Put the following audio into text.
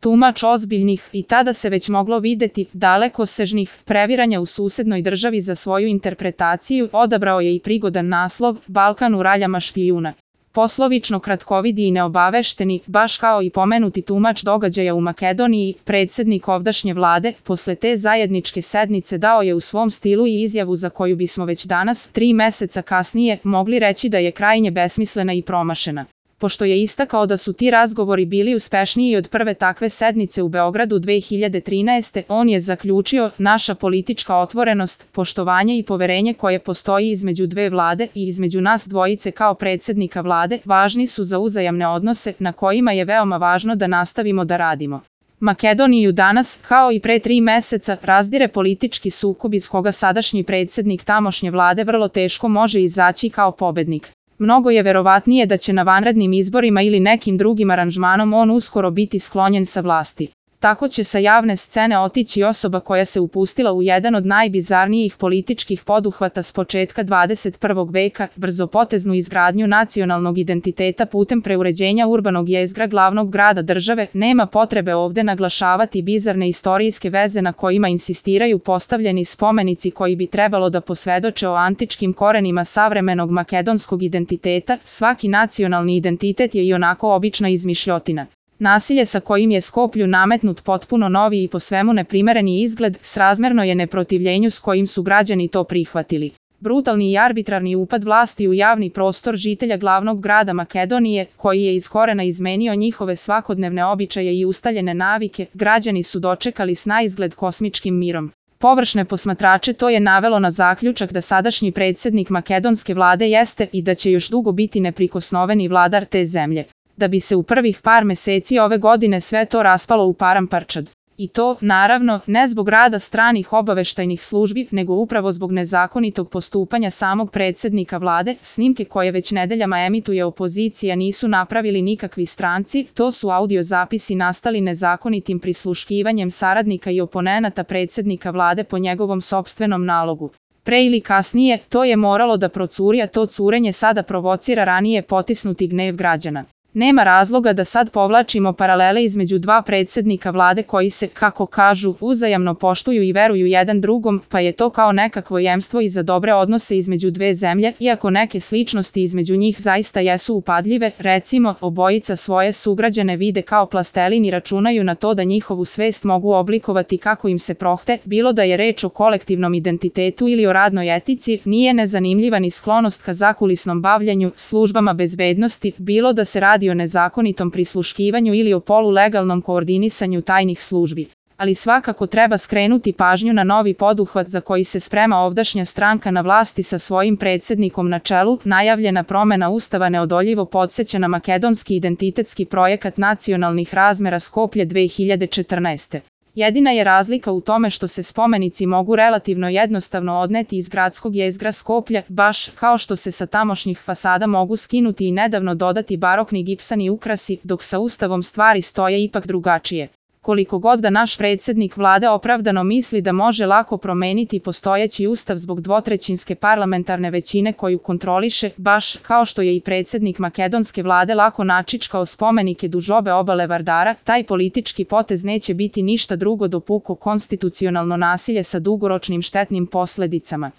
tumač ozbiljnih i tada se već moglo videti dalekosežnih previranja u susednoj državi za svoju interpretaciju, odabrao je i prigodan naslov Balkan u raljama špijuna. Poslovično kratkovidi i neobavešteni, baš kao i pomenuti tumač događaja u Makedoniji, predsjednik ovdašnje vlade, posle te zajedničke sednice dao je u svom stilu i izjavu za koju bismo već danas, 3 meseca kasnije, mogli reći da je krajnje besmislena i promašena. Pošto je istakao da su ti razgovori bili uspešniji od prve takve sednice u Beogradu 2013. on je zaključio: naša politička otvorenost, poštovanje i poverenje koje postoji između dve vlade i između nas dvojice kao predsjednika vlade važni su za uzajamne odnose na kojima je veoma važno da nastavimo da radimo. Makedoniju danas, kao i pre 3 meseca, razdire politički sukob iz koga sadašnji predsjednik tamošnje vlade vrlo teško može izaći kao pobednik. Mnogo je verovatnije da će na vanrednim izborima ili nekim drugim aranžmanom on uskoro biti sklonjen sa vlasti. Tako će sa javne scene otići osoba koja se upustila u jedan od najbizarnijih političkih poduhvata s početka 21. veka, brzopoteznu izgradnju nacionalnog identiteta putem preuređenja urbanog jezgra glavnog grada države. Nema potrebe ovde naglašavati bizarne istorijske veze na kojima insistiraju postavljeni spomenici koji bi trebalo da posvedoče o antičkim korenima savremenog makedonskog identiteta. Svaki nacionalni identitet je ionako obična izmišljotina. Nasilje sa kojim je Skoplju nametnut potpuno novi i po svemu neprimereni izgled, srazmerno je neprotivljenju s kojim su građani to prihvatili. Brutalni i arbitrarni upad vlasti u javni prostor žitelja glavnog grada Makedonije, koji je iz korena izmenio njihove svakodnevne običaje i ustaljene navike, građani su dočekali s naizgled kosmičkim mirom. Površne posmatrače to je navelo na zaključak da sadašnji predsjednik makedonske vlade jeste i da će još dugo biti neprikosnoveni vladar te zemlje. Da bi se u prvih par meseci ove godine sve to raspalo u paramparčad. I to, naravno, ne zbog rada stranih obaveštajnih službi, nego upravo zbog nezakonitog postupanja samog predsjednika vlade. Snimke koje već nedeljama emituje opozicija nisu napravili nikakvi stranci, to su audio zapisi nastali nezakonitim prisluškivanjem saradnika i oponenata predsjednika vlade po njegovom sopstvenom nalogu. Pre ili kasnije, to je moralo da procuri, a to curenje sada provocira ranije potisnuti gnev građana. Nema razloga da sad povlačimo paralele između dva predsjednika vlade koji se, kako kažu, uzajamno poštuju i veruju jedan drugom, pa je to kao nekakvo jemstvo i za dobre odnose između dve zemlje, iako neke sličnosti između njih zaista jesu upadljive. Recimo, obojica svoje sugrađane vide kao plastelin i računaju na to da njihovu svest mogu oblikovati kako im se prohte, bilo da je reč o kolektivnom identitetu ili o radnoj etici. Nije nezanimljiva ni sklonost ka zakulisnom bavljanju službama bezbednosti, bilo da se radi o nezakonitom prisluškivanju ili o polulegalnom koordinisanju tajnih službi. Ali svakako treba skrenuti pažnju na novi poduhvat za koji se sprema ovdašnja stranka na vlasti sa svojim predsjednikom na čelu. Najavljena promjena ustava neodoljivo podsjeća na makedonski identitetski projekat nacionalnih razmera Skoplje 2014. Jedina je razlika u tome što se spomenici mogu relativno jednostavno odneti iz gradskog jezgra Skoplja, baš kao što se sa tamošnjih fasada mogu skinuti i nedavno dodati barokni gipsani ukrasi, dok sa ustavom stvari stoje ipak drugačije. Koliko god da naš predsjednik vlade opravdano misli da može lako promeniti postojeći ustav zbog dvotrećinske parlamentarne većine koju kontroliše, baš kao što je i predsjednik makedonske vlade lako načičkao spomenike duž obe obale Vardara, taj politički potez neće biti ništa drugo do puko konstitucionalno nasilje sa dugoročnim štetnim posledicama.